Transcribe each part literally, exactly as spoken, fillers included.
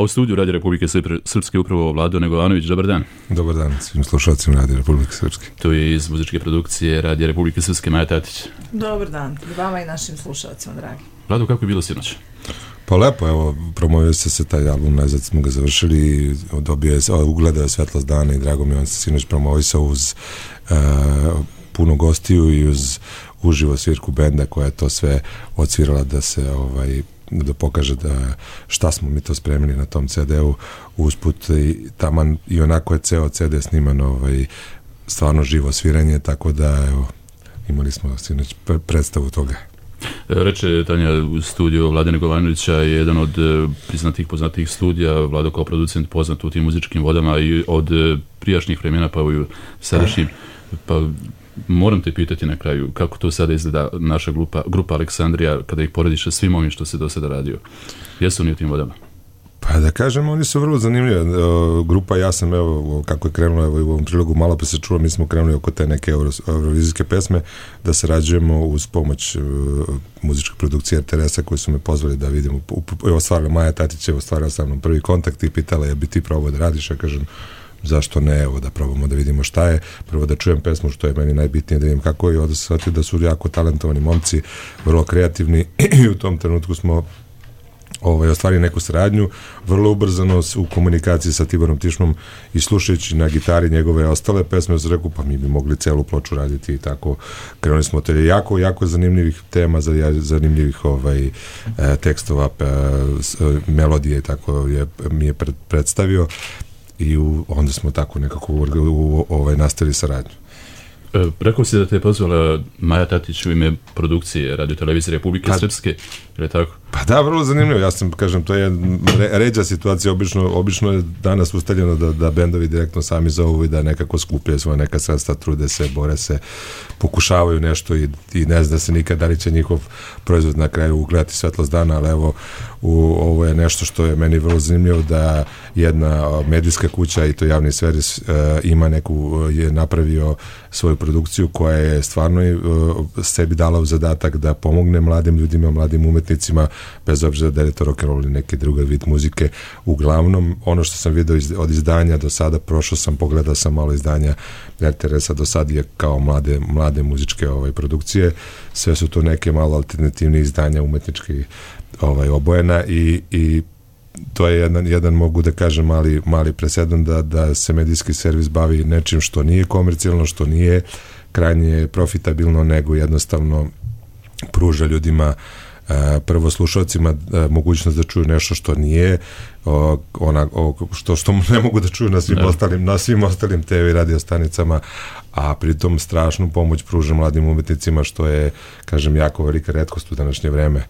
A u studiju Radija Republike Srpske upravo Vlado Negovanović, dobar dan. Dobar dan svim slušalcima Radija Republike Srpske. To je iz muzičke produkcije Radija Republike Srpske Maja Tatić. Dobar dan i vama i našim slušalcima, dragi. Vlado, kako je bilo sinoć? Pa lepo, evo, promovio se se taj album, najzad smo ga završili, dobio je, ugledao je svetlost dana i drago mi on se sinoć promovisao uz uh, puno gostiju i uz uživo svirku benda koja je to sve odsvirala da se ovaj da pokaže da šta smo mi to spremili na tom ce de u usput i taman i onako je ceo ce de sniman ovaj, stvarno živo sviranje, tako da evo, imali smo sinoć predstavu toga. Reče Tanja u studiju Vlade Negovanovića je jedan od priznatih, poznatih studija, Vlado kao producent poznat u tim muzičkim vodama i od prijašnjih vremena pa u sadašnjim. Pa moram te pitati na kraju, kako to sada izgleda naša grupa, grupa Aleksandrija, kada ih porediš sa svim ovim što se do sada radio? Jesu oni u tim vodama? Pa da kažem, oni su vrlo zanimljivi. Grupa, ja sam, evo, kako je krenula, evo, u ovom trilogu malo pa se čulo, mi smo krenuli oko te neke euro, eurovizijske pesme, da sarađujemo uz pomoć uh, muzičke produkcije er te er es-a koji su me pozvali da vidim. Evo, stvarno, Maja Tatić je ostvarila sa mnom prvi kontakt i pitala je bi ti probao da radiš, ja kažem, zašto ne, evo da probamo da vidimo šta je, prvo da čujem pesmu što je meni najbitnije, da vidim kako je, i onda se shvatio da su jako talentovani momci, vrlo kreativni i u tom trenutku smo ovaj, ostvarili neku saradnju, vrlo ubrzano u komunikaciji sa Tiborom Tišmom i slušajući na gitari njegove ostale pesme, sam rekao pa mi bi mogli celu ploču raditi i tako krenuli smo te jako, jako zanimljivih tema, zanimljivih ovaj, tekstova, melodije i tako je, mi je predstavio i u, onda smo tako nekako u, u, ovaj, nastavili saradnju. E, rekao si da te je pozvala Maja Tatić u ime produkcije Radio Televizije Republike pa, Srpske, je tako? Pa da, vrlo zanimljivo, ja sam, kažem, to je re, ređa situacija, obično, obično je danas ustaljeno da, da bendovi direktno sami zovu i da nekako skupljaju svoje neka sredstva, trude se, bore se, pokušavaju nešto i, i ne zna se nikad da li će njihov proizvod na kraju ugledati svetlost dana, ali evo, u, ovo je nešto što je meni vrlo zanimljivo, da jedna medijska kuća i to javni servis uh, ima neku, je napravio svoju produkciju koja je stvarno uh, sebi dala u zadatak da pomogne mladim ljudima, mladim umetnicima, bez obzira da je to rock and roll ili neki drugi vid muzike. Uglavnom, ono što sam vidio iz, od izdanja do sada, prošao sam, pogledao sam malo izdanja er te er es-a do sada je kao mlade, mlade muzičke ovaj, produkcije, sve su to neke malo alternativne izdanja umetnički ovaj, obojena i, i to je jedan, jedan mogu da kažem mali, mali presedan da, da se medijski servis bavi nečim što nije komercijalno, što nije krajnje profitabilno, nego jednostavno pruža ljudima, prvo slušalcima, mogućnost da čuju nešto što nije ona, što, što ne mogu da čuju na svim ne. ostalim na svim ostalim te ve i radio stanicama, a pritom strašnu pomoć pruža mladim umetnicima, što je, kažem, jako velika retkost u današnje vreme.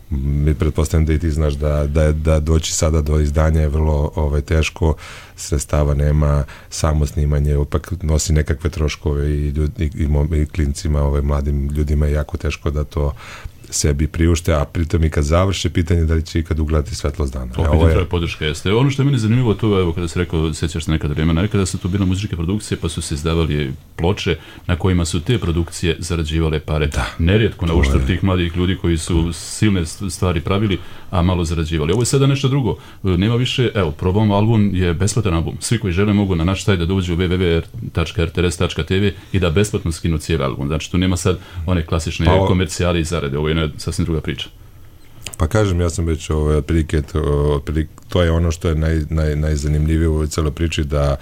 Mi pretpostavljam da i ti znaš da, da, da doći sada do izdanja je vrlo ovaj, teško, sredstava nema, samo snimanje opak nosi nekakve troškove i, i, i, i klincima, ovaj, mladim ljudima je jako teško da to sebi priušte, a pritom i kad završe pitanje da li će ikad ugledati svetlost dana. To pitanje je podrška jeste. Ono što je meni zanimljivo to, evo kada se rekao, sjećaš se nekada vremena, nekada su to bile muzičke produkcije pa su se izdavali ploče na kojima su te produkcije zarađivale pare. Da, nerijetko na uštrb tih mladih ljudi koji su silne stvari pravili, a malo zarađivali. Ovo je sada nešto drugo. Nema više, evo, probamo, album je besplatan album. Svi koji žele mogu na naš sajt da dođu u w w w tačka r t r s tačka t v i da besplatno skinu cijeli album. Znači tu nema sad one klasične pa, komercijale i zarade. Ovo je sasvim druga priča. Pa kažem, ja sam već ovaj, otprilike, otprilike, to je ono što je naj, naj, najzanimljivije u ovoj celoj priči, da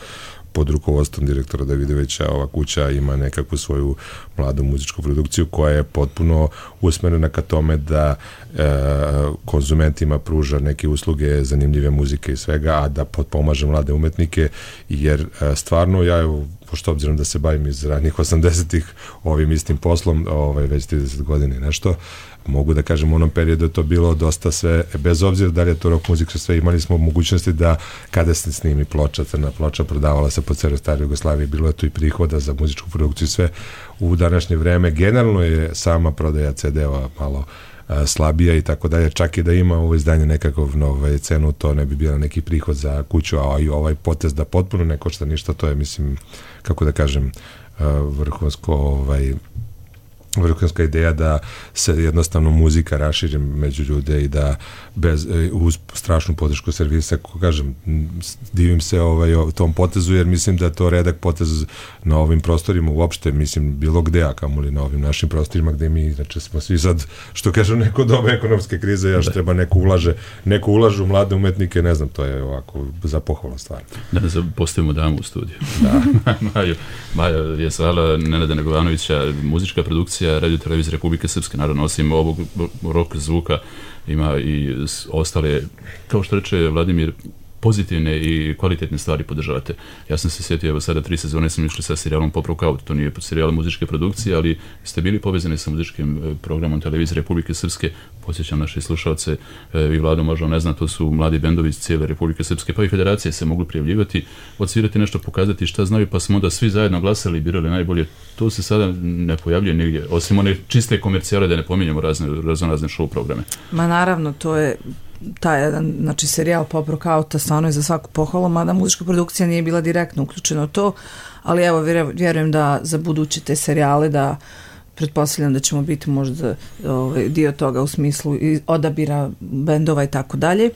pod rukovodstvom direktora Davidovića ova kuća ima nekakvu svoju mladu muzičku produkciju koja je potpuno usmerena ka tome da e, konzumentima pruža neke usluge, zanimljive muzike i svega, a da potpomaže mlade umetnike, jer e, stvarno ja, evo, pošto obzirom da se bavim iz ranih osamdesetih ovim istim poslom, ovaj, već trideset godina i nešto, mogu da kažem u onom periodu je to bilo dosta sve, bez obzira da li je to rock muzika, sve imali smo mogućnosti da kada se snimi ploča, crna ploča, prodavala se po celoj staroj Jugoslaviji, bilo je tu i prihoda za muzičku produkciju, sve u današnje vreme. Generalno je sama prodaja ce de-ova malo a, slabija i tako dalje, čak i da ima ovo izdanje nekakav ovaj, cenu, to ne bi bila neki prihod za kuću, a i ovaj potez da potpuno ne košta ništa, to je, mislim, kako da kažem, a, vrhunsko ovaj vrhunska ideja da se jednostavno muzika raširi među ljude i da bez, uz strašnu podršku servisa, kako kažem, divim se ovaj, tom potezu, jer mislim da je to redak potez na ovim prostorima uopšte, mislim, bilo gde, a kamoli na ovim našim prostorima gde mi, znači, smo svi sad, što kažem, neko doba ekonomske krize, još treba neko ulaže, neko ulaže u mlade umetnike, ne znam, to je ovako za pohvalnu stvar. Da ne postavimo damu u studiju. Da. Maja, Maja je svala Nenada Negovanovića, muzička produkcija Radio Televizije Republike Srpske, naravno, osim ovog rock zvuka, ima i ostale, kao što reče Vladimir, pozitivne i kvalitetne stvari podržavate. Ja sam se sjetio, evo sada tri sezone sam išli sa serijalom Pop Rock Out, to nije serijal muzičke produkcije, ali ste bili povezani sa muzičkim programom Televizije Republike Srpske. Posjećam naše slušalce, vi Vlado možda ne zna, to su mladi bendovi iz cijele Republike Srpske, pa i federacije se mogli prijavljivati, odsvirati nešto, pokazati šta znaju, pa smo onda svi zajedno glasali i birali najbolje. To se sada ne pojavljuje nigdje, osim one čiste komercijale, da ne pominjemo razne, razne, razne show programe. Ma naravno, to je taj jedan, znači, serijal Pop Rock Outa stvarno je za svaku pohvalu, mada muzička produkcija nije bila direktno uključena u to, ali evo, vjerujem da za buduće te serijale, da pretpostavljam da ćemo biti možda ovaj, dio toga u smislu i odabira bendova i tako dalje.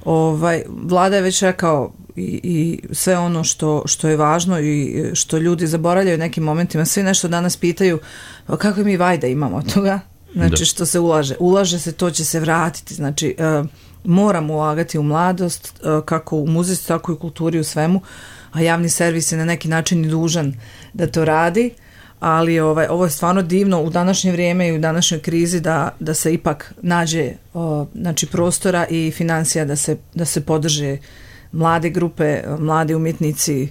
Ovaj, Vlada je već rekao i, i sve ono što, što je važno i što ljudi zaboravljaju u nekim momentima, svi nešto danas pitaju kakve mi vajda imamo od toga. Znači, da. Što se ulaže. Ulaže se, to će se vratiti. Znači, uh, moramo ulagati u mladost, uh, kako u muzici, tako i u kulturi, u svemu, a javni servis je na neki način i dužan da to radi, ali ovaj, ovo je stvarno divno u današnje vrijeme i u današnjoj krizi da, da se ipak nađe uh, znači, prostora i financija da se, da se podrže mlade grupe, mladi umjetnici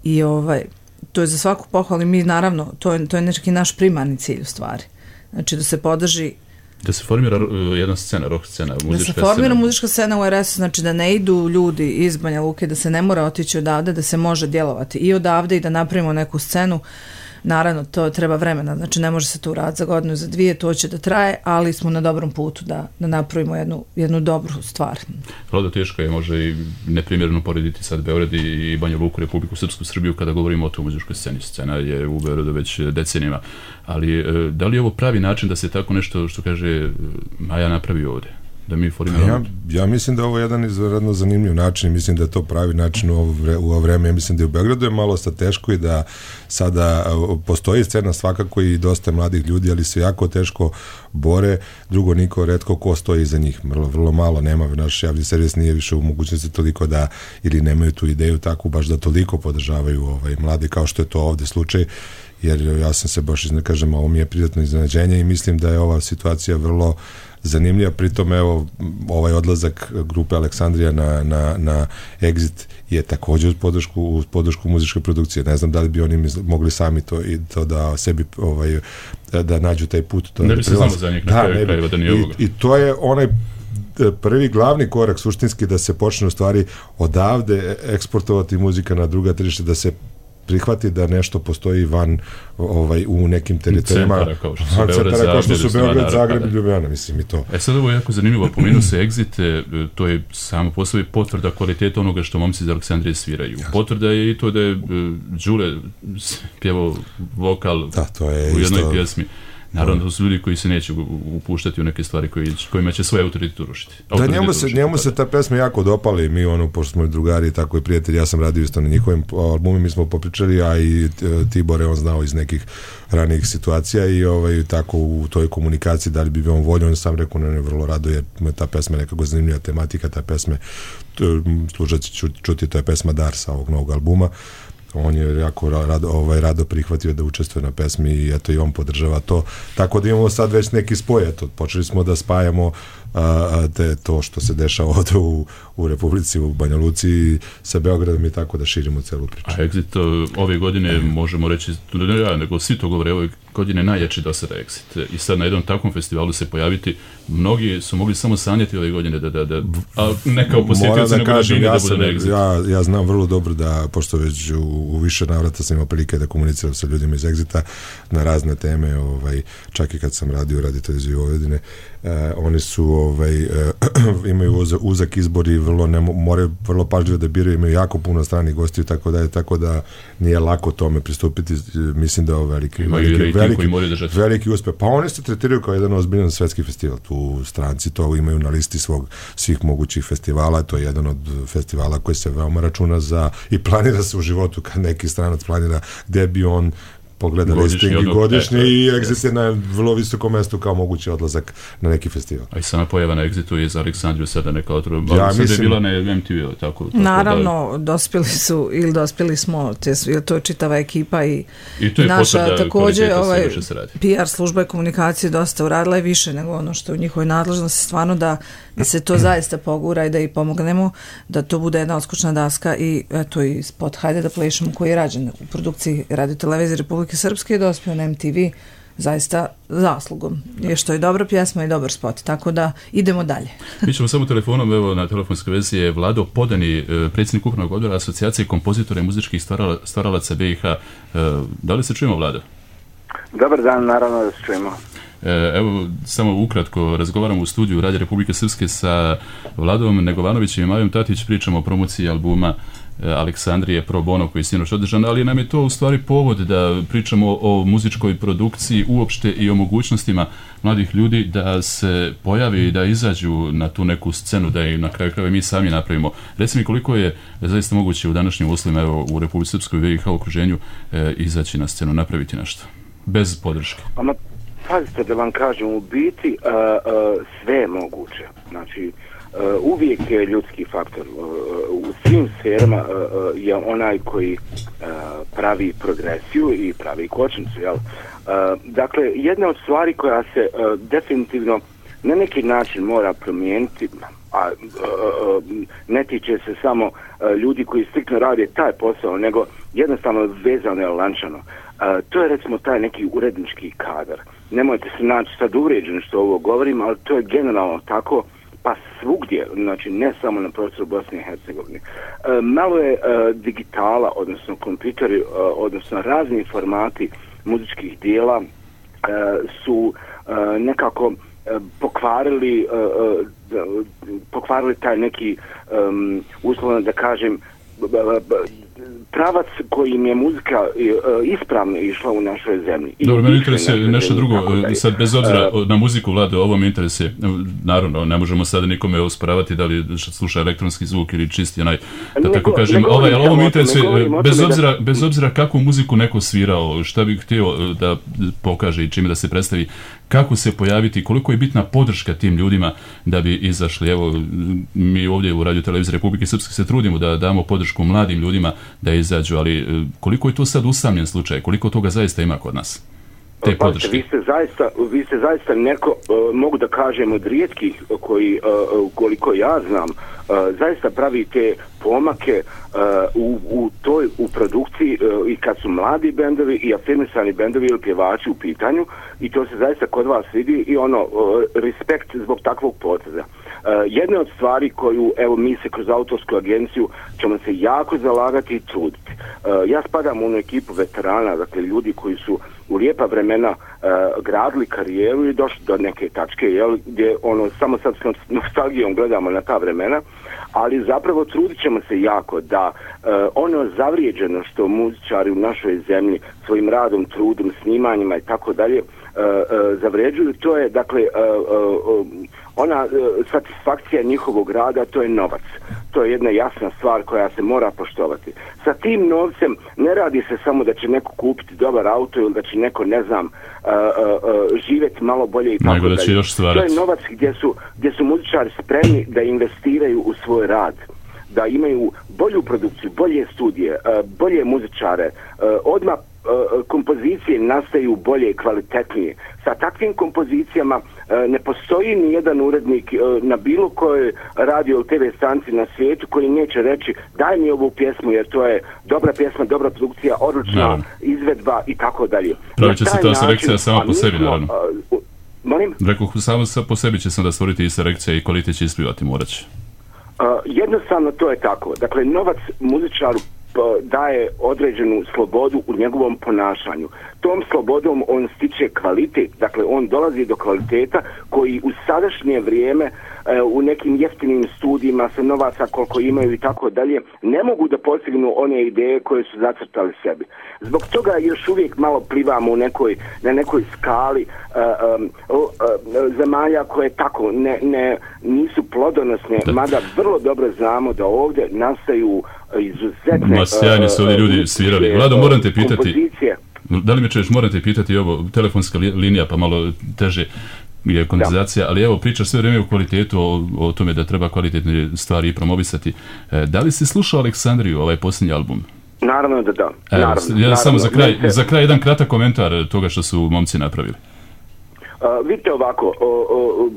i ovaj, to je za svaku pohvalu i mi naravno, to je, to je neki naš primarni cilj u stvari. Znači da se podrži, da se formira jedna scena, rock scena, muzička scena. Da se formira scena. muzička scena u er es u, znači da ne idu ljudi iz Banja Luke, da se ne mora otići odavde, da se može djelovati i odavde i da napravimo neku scenu. Naravno, to treba vremena, znači ne može se to uraditi za godinu, za dvije, to će da traje, ali smo na dobrom putu da, da napravimo jednu, jednu dobru stvar. Vlado, teško je možda i neprimjerno porediti sad Beograd i Banja Luku, Republiku Srpsku, Srbiju kada govorimo o toj muzičkoj sceni. Scena je u Beogradu već decenijama, ali da li je ovo pravi način da se tako nešto, što kaže Maja, napravi ovdje? Da mi ja, ja mislim da ovo je jedan izvanredno zanimljiv način i mislim da je to pravi način u ovo, vre, u ovo vreme. Ja mislim da je u Beogradu je malo sad teško i da sada postoji scena svakako i dosta mladih ljudi, ali se jako teško bore. Drugo, niko, retko ko stoji iza njih. Vrlo, vrlo malo nema. Naš javni servis nije više u mogućnosti toliko da, ili nemaju tu ideju takvu baš da toliko podržavaju ovaj, mlade kao što je to ovdje slučaj. Jer ja sam se baš, ne kažem, ovo mi je prijatno iznenađenje i mislim da je ova situacija vrlo zanimljiva. Pritom, evo, ovaj odlazak grupe Aleksandrija na, na, na Exit je također uz podršku, uz podršku muzičke produkcije. Ne znam da li bi oni mogli sami to, i to da sebi ovaj, da nađu taj put. To ne bi se znamo za njih na kraju krajeva da nije ovoga. I, I to je onaj prvi glavni korak suštinski da se počne u stvari odavde eksportovati muzika na druga tržišta, da se prihvati da nešto postoji van ovaj, u nekim teritorijama. Centara kao što su Beograd, Zagreb, kao što su Beograd, Zagreb i Ljubljana, mislim i to. E sad ovo je jako zanimljivo, pomenuo se Exit, to je samo po sebi potvrda kvaliteta onoga što momci iz Aleksandrije sviraju. Jasno. Potvrda je i to da je uh, Đule pjevao vokal da, to je u jednoj isto pjesmi. Naravno, to su ljudi koji se neće upuštati u neke stvari koji, kojima će svoje autoritet urušiti. Da, njemu se, njemu se ta pesma jako dopala i mi, ono, pošto smo drugari i tako i prijatelji, ja sam radio isto na njihovim albumima, mi smo popričali, a i Tibor je on znao iz nekih ranijih situacija i ovaj, tako u toj komunikaciji da li bi on volio, on sam rekao, ne, ne, vrlo rado, jer ta pesma je nekako zanimljiva tematika, ta pesme, slušat ću čuti, to je pesma Dar sa ovog novog albuma. On je jako rado, ovaj, rado prihvatio da učestvuje na pesmi i eto i on podržava to. Tako da imamo sad već neki spoj. Eto, počeli smo da spajamo a, te, to što se dešava ovdje u, u Republici, u Banja Luci sa Beogradom i tako da širimo celu priču. A Exit ove godine možemo reći, ne ja, nego svi to govore, ove godine najjači do sada Exit. I sad na jednom takvom festivalu se pojaviti, mnogi su mogli samo sanjati ove godine da, da, da a ne kao posjetioci, da nego kažem, da, ja da bude na Exit. Ja, ja znam vrlo dobro da, pošto već u, u više navrata sam imao prilike da komuniciram sa ljudima iz Exita na razne teme, ovaj, čak i kad sam radio Radio Televiziju Vojvodine, E, oni su ovaj, e, imaju uzak, uzak izbor i vrlo ne, moraju vrlo pažljivo da biraju, imaju jako puno stranih gostiju, tako da je tako da nije lako tome pristupiti. Mislim da je ovo veliki veliki, veliki, veliki uspeh. Pa oni se tretiraju kao jedan ozbiljan svetski festival. Tu stranci to imaju na listi svog svih mogućih festivala. To je jedan od festivala koji se veoma računa za i planira se u životu kad neki stranac planira gde bi on pogleda listing i godišnje i Exit je na vrlo visokom mestu kao mogući odlazak na neki festival. A i sama pojava na Exitu je za Aleksandriju sada neka otrova. Ja sada je bila na em te ve-u. Tako, tako naravno, da... dospjeli su ili dospjeli smo, te, to je čitava ekipa i, I to je naša također ovaj, P R služba i komunikacije dosta uradila i više nego ono što u njihovoj nadležnosti, stvarno da, da se to zaista pogura i da i pomognemo, da to bude jedna odskočna daska i eto i spot Hajde da plešemo koji je rađen u produkciji Radio Televizije Republike Srpske je dospio na em te ve zaista zaslugom. Je što je dobra pjesma i dobar spot, tako da idemo dalje. Mi ćemo samo telefonom, evo na telefonskoj vezi je Vlado Podani, predsjednik upravnog odbora Asocijacije kompozitora i muzičkih stvarala, stvaralaca be i ha. Da li se čujemo, Vlado? Dobar dan, naravno da se čujemo. Evo, samo ukratko, razgovaramo u studiju Radio Republike Srpske sa Vladom Negovanovićem i Majom Tatić, pričamo o promociji albuma Aleksandrije Pro Bono koji je sinoć održan, ali nam je to u stvari povod da pričamo o muzičkoj produkciji uopšte i o mogućnostima mladih ljudi da se pojavi i da izađu na tu neku scenu, da i na kraju krajeva mi sami napravimo. Reci mi koliko je zaista moguće u današnjim uslovima, evo u Republici Srpskoj be i ha okruženju e, izaći na scenu, napraviti nešto bez podrške. Ama, pazite da vam kažem, u biti uh, uh, sve je moguće. Znači, Uh, uvijek je ljudski faktor. Uh, u svim sferama uh, je onaj koji uh, pravi progresiju i pravi kočnicu. Jel? Uh, dakle, jedna od stvari koja se uh, definitivno na neki način mora promijeniti, a uh, ne tiče se samo uh, ljudi koji striktno rade taj posao, nego jednostavno vezano je lančano. Uh, to je recimo taj neki urednički kadar. Nemojte se naći sad uvrijeđeni što ovo govorim, ali to je generalno tako, pa svugdje, znači ne samo na prostoru Bosne i Hercegovine. E, malo je e, digitala, odnosno kompjuteri, e, odnosno razni formati muzičkih dijela e, su e, nekako e, pokvarili, e, e, pokvarili taj neki, e, uslovno da kažem, b, b, b, pravac kojim je muzika uh, ispravno išla u našoj zemlji. Dobro, meni interesuje nešto drugo, sad bez obzira uh, na muziku, Vlado, ovo me interesuje, naravno, ne možemo sad nikome osporavati da li sluša elektronski zvuk ili čisti onaj, da tako kažem, ovaj, ali ovo me interesuje, bez obzira, da... bez obzira kakvu muziku neko svirao, šta bih htio da pokaže i čime da se predstavi, kako se pojaviti, koliko je bitna podrška tim ljudima da bi izašli. Evo, mi ovdje u Radio Televiziji Republike Srpske se trudimo da damo podršku mladim ljudima da izađu, ali koliko je to sad usamljen slučaj, koliko toga zaista ima kod nas? Te pa, podrške. Vi ste zaista, vi ste zaista neko, uh, mogu da kažem, od rijetkih koji, uh, koliko ja znam, uh, zaista pravi te pomake uh, u, u toj, u produkciji uh, i kad su mladi bendovi i afirmisani bendovi ili pjevači u pitanju, i to se zaista kod vas vidi i ono, uh, respekt zbog takvog poteza. Uh, jedna od stvari koju, evo, mi se kroz autorsku agenciju ćemo se jako zalagati i truditi. Uh, ja spadam u onu ekipu veterana, dakle ljudi koji su u lijepa vremena uh, gradili karijeru i došli do neke tačke, jel, gdje ono, samo sad s nostalgijom gledamo na ta vremena, ali zapravo trudit ćemo se jako da uh, ono zavrijeđeno što muzičari u našoj zemlji svojim radom, trudom, snimanjima i tako dalje zavređuju, to je dakle uh, uh, ona uh, satisfakcija njihovog rada, to je novac. To je jedna jasna stvar koja se mora poštovati. Sa tim novcem ne radi se samo da će neko kupiti dobar auto ili da će neko, ne znam, uh, uh, živjeti malo bolje i tako dalje. To je novac gdje su, gdje su muzičari spremni da investiraju u svoj rad, da imaju bolju produkciju, bolje studije, uh, bolje muzičare, uh, odmah kompozicije nastaju bolje i kvalitetnije. Sa takvim kompozicijama ne postoji ni jedan urednik na bilo kojoj radio ili te ve stanci na svijetu koji neće reći daj mi ovu pjesmu jer to je dobra pjesma, dobra produkcija, odlična no. izvedba i tako dalje. Pravit će se ta selekcija sama po sebi, naravno. Uh, molim? Rekao, samo po sebi će sam da stvoriti i selekcija i kvalitet će isplivati, morat će. Uh, jednostavno to je tako. Dakle, novac muzičaru daje određenu slobodu u njegovom ponašanju. Tom slobodom on stiče kvalitet, dakle on dolazi do kvaliteta koji u sadašnje vrijeme u nekim jeftinim studijima sa novaca koliko imaju i tako dalje ne mogu da postignu one ideje koje su zacrtali sebi. Zbog toga još uvijek malo plivamo u nekoj, na nekoj skali uh, um, uh, zemalja koje tako ne, ne, nisu plodonosne, da. Mada vrlo dobro znamo da ovdje nastaju izuzetne... Ma sjajni su ovdje ljudi svirali. Vlado, moram te pitati... Kompozicije. Da li me čuješ, moram te pitati ovo, telefonska linija pa malo teže je kondenzacija, ali evo pričaš sve vrijeme o kvalitetu, o, o tome da treba kvalitetne stvari promovisati. E, da li si slušao Aleksandriju, ovaj posljednji album? Naravno da da. Evo, naravno, ja naravno. Samo za kraj, se... za kraj jedan kratak komentar toga što su momci napravili. Uh, vidite ovako, o, o,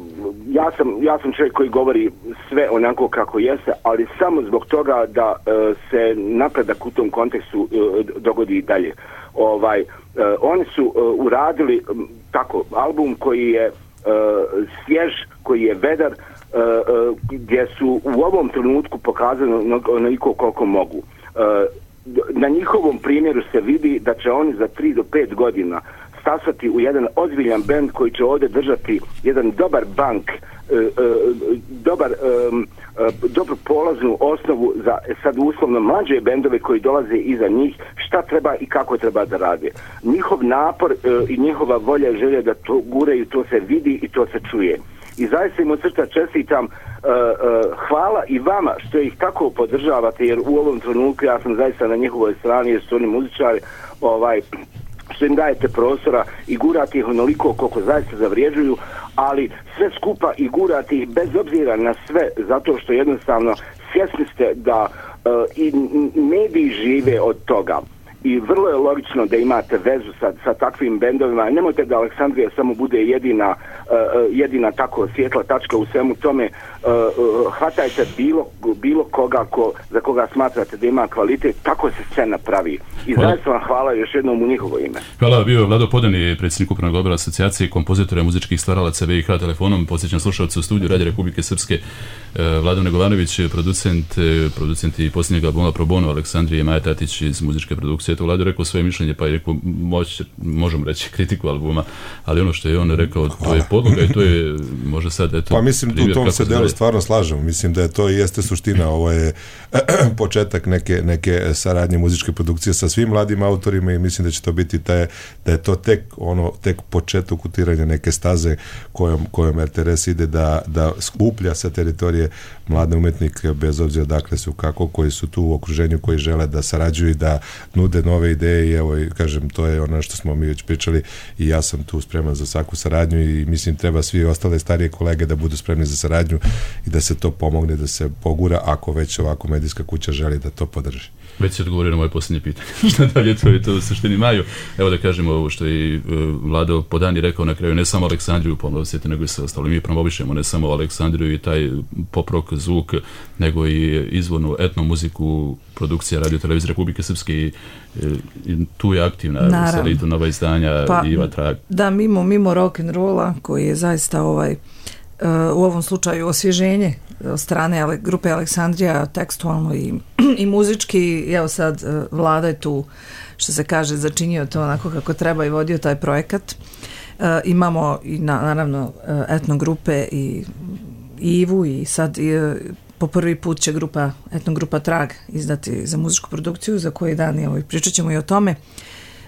ja, sam, ja sam čovjek koji govori sve onako kako jeste, ali samo zbog toga da uh, se napredak u tom kontekstu uh, dogodi i dalje. Ovaj, uh, oni su uh, uradili um, tako album koji je Uh, svjež, koji je vedar, uh, uh, gdje su u ovom trenutku pokazano onoliko koliko mogu. Uh, na njihovom primjeru se vidi da će oni za tri do pet godina stasati u jedan ozbiljan bend koji će ovdje držati jedan dobar bank, uh, uh, dobar um, uh, dobru polaznu osnovu za sad uslovno mlađe bendove koji dolaze iza njih, šta treba i kako treba da rade. Njihov napor uh, i njihova volja i želja da to guraju, to se vidi i to se čuje. I zaista im od srca čestitam, uh, uh, hvala i vama što ih tako podržavate, jer u ovom trenutku ja sam zaista na njihovoj strani, jer su oni muzičari, ovaj, što im dajete prostora i gurate ih onoliko koliko zaista zavrijeđuju, ali sve skupa i gurate ih bez obzira na sve, zato što jednostavno svjesni ste da uh, i mediji žive od toga. I vrlo je logično da imate vezu sa, sa takvim bendovima. Nemojte da Aleksandrija samo bude jedina, uh, jedina tako svjetla tačka u svemu tome. Uh, uh, hvatajte bilo, bilo koga ko, za koga smatrate da ima kvalitet, tako se scena pravi. I zaista vam hvala još jednom u njihovo ime. Hvala, bio Vlado Podani, predsjednik Upravnog odbora asocijacije kompozitora muzičkih stvaralaca V I H telefonom. Podsjećam slušalce u studiju Radio Republike Srpske, Vlado Negovanović, producent, producent i posljednjeg albuma Pro Bono Aleksandrije, Maja Tatić iz muzičke produkcije. Eto, Vlado rekao svoje mišljenje, pa je rekao, moć, možemo reći kritiku albuma, ali ono što je on rekao, to je podloga i to je, može sad, eto... Pa mislim, primjer, u tom se delu stvarno slažemo. Mislim da je to i jeste suština. Ovo je početak neke, neke saradnje muzičke produkcije sa svim mladim autorima i mislim da će to biti taj, da je to tek ono, tek početak utiranja neke staze kojom, kojom R T R S ide da, da skuplja sa teritorije mlade umetnike, bez obzira dakle su kako, koji su tu u okruženju, koji žele da sarađuju i da nude nove ideje i evo, kažem, to je ono što smo mi već pričali i ja sam tu spreman za svaku saradnju i mislim treba svi ostale starije kolege da budu spremni za saradnju i da se to pomogne, da se pogura ako već ovako medijska kuća želi da to podrži. Već se odgovorio na moje posljednje pitanje. Šta dalje, to je to u suštini Maju. Evo da kažemo ovo što je uh, Vlado Podani rekao na kraju, ne samo Aleksandriju pomnositi, nego i sve ostalo. Mi promovišemo ne samo Aleksandriju i taj pop rock zvuk, nego i izvornu etno muziku, produkcija Radio Televizije Republike Srpske i, i tu je aktivna Selitu Nova izdanja pa, Iva Trag. Da, mimo, mimo rock'n'rolla koji je zaista ovaj Uh, u ovom slučaju osvježenje od strane ale, grupe Aleksandrija tekstualno i, i muzički. Evo sad uh, Vlada je tu, što se kaže, začinio to onako kako treba i vodio taj projekat. Uh, imamo i na, naravno uh, etno grupe i, i Ivu i sad i, uh, po prvi put će grupa, etno grupa Trag izdati za muzičku produkciju za koji dan evo, i pričat ćemo i o tome.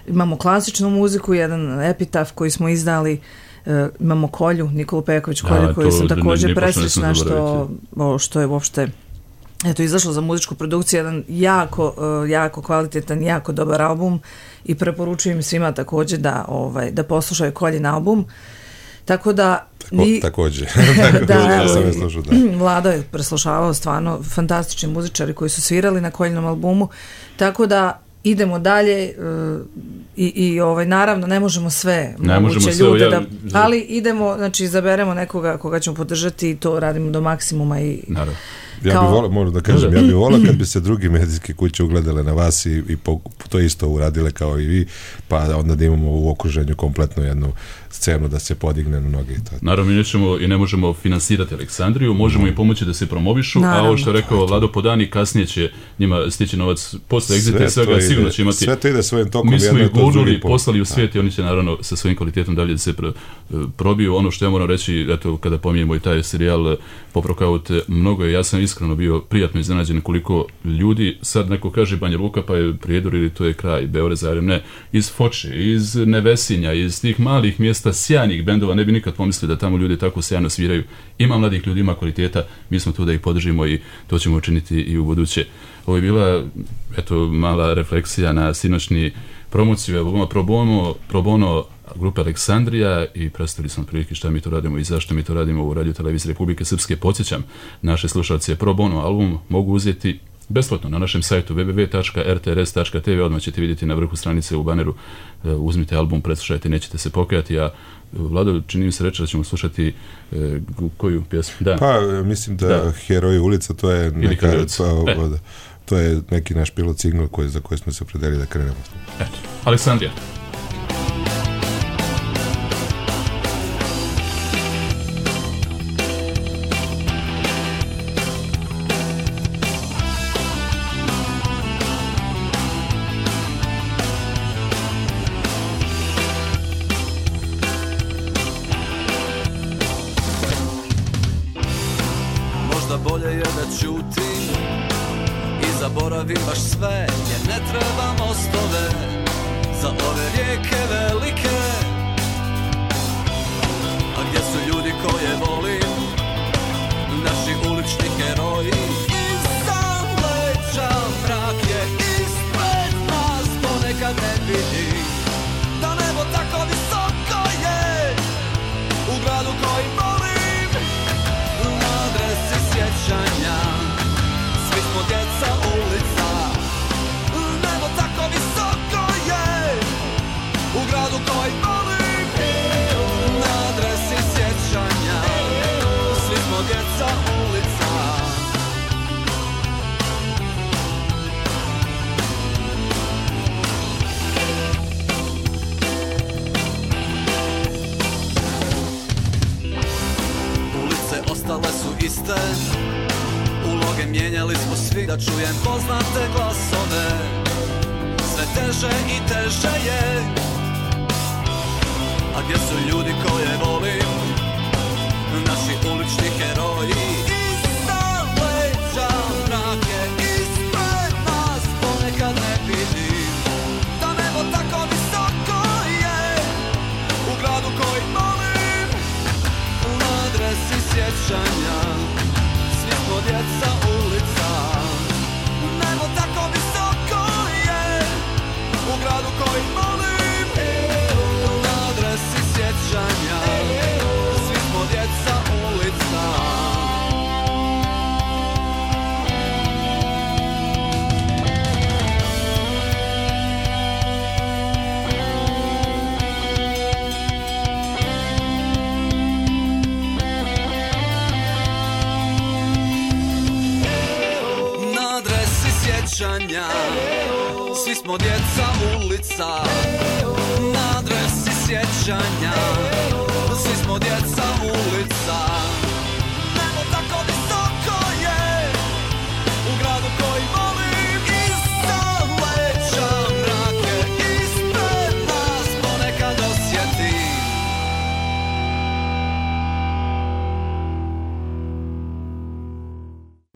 Imamo klasičnu muziku, jedan epitaf koji smo izdali. Uh, imamo Kolju, Nikolu Peković Kolju, koju sam također presrećna što, o, što je uopšte eto, izašlo za muzičku produkciju, jedan jako, uh, jako kvalitetan, jako dobar album i preporučujem svima također da, ovaj, da poslušaju Koljin album. Tako da Ni, također. da, ja sam je slušao, da. Vlada je preslušavao stvarno fantastični muzičari koji su svirali na Koljinom albumu. Tako da idemo dalje uh, i, i ovaj, naravno ne možemo sve ne moguće možemo sve, ljude ja, da, ali idemo, znači izaberemo nekoga koga ćemo podržati i to radimo do maksimuma i naravno. Ja kao... bih volao, moram da kažem, ja bih volao kad bi se drugi medijske kuće ugledale na vas i, i po, to isto uradile kao i vi, pa onda da imamo u okruženju kompletno jednu scenu da se podigne na noge. Naravno, mi nećemo i ne možemo finansirati Aleksandriju, možemo im pomoći da se promovišu, Naravno. a ovo što je rekao Lado Podani, kasnije će njima stići novac posle egzita i svega, sigurno će imati... Sve to ide svojim tokom. Mi smo ih gurnuli, poslali u svijet i oni će naravno sa svojim kvalitetom dalje da se probiju. Ono što ja moram reći, eto, kada pominjemo i taj serijal Poprokaut, mnogo je, ja sam iskreno bio prijatno iznenađen koliko ljudi, sad neko kaže Banja Luka pa je Prijedor ili to je kraj, Beograd, Zagreb, ne, iz Foče, iz Nevesinja, iz tih malih mjesta, sjajnih bendova, ne bi nikad pomislili da tamo ljudi tako sjajno sviraju. Ima mladih ljudi, ima kvaliteta, mi smo tu da ih podržimo i to ćemo učiniti i u buduće. Ovo je bila, eto, mala refleksija na sinoćni promociju albuma Pro Bono, Pro Bono grupe Aleksandrija i predstavili smo prilike šta mi to radimo i zašto mi to radimo u Radio Televiziji Republike Srpske. Podsjećam, naše slušalce, Pro Bono album mogu uzeti besplatno na našem sajtu w w w tačka r t r s tačka t v, odmah ćete vidjeti na vrhu stranice u baneru, uzmite album, preslušajte, nećete se pokajati, a Vlado, čini mi se reći da ćemo slušati e, koju pjesmu? Da. Pa, mislim da, da. Heroji ulica, to je neka, to, e. to je neki naš pilot single koji, za koji smo se opredelili da krenemo. Eto, Aleksandrija. Bolje je da ćutim i zaboravim baš sve, jer ne treba mostove za ove rijeke velike. A gdje su ljudi koje volim, naši ulični heroji? Iza leđa mrak je ispred nas, ponekad ne vidim da nebo tako visoko je u gradu koji volim. Sjećanja, svi smo djeca ulica, nebo tako visoko je u gradu koji volim. Na adresi sjećanja, svi smo djeca ulica. Ulice ostale su iste, uloge mijenjali smo svi, da čujem poznate glasove. Sve teže i teže je, a gdje su ljudi koje volim, naši ulični heroji? Iza leđa mrak je ispred nas, ponekad ne vidim da nebo tako visoko je u gradu koji volim. Na adresi sjećanja, svi smo djeca ulica, nebo tako visoko je u gradu koji volim. Na adresi sjećanja, svi smo djeca ulica. Svi smo djeca ulica, na adresi sjećanja, svi smo djeca ulica. Nebo tako visoko je u gradu koji volim. Iza leđa mrak je ispred nas, ponekad osjetim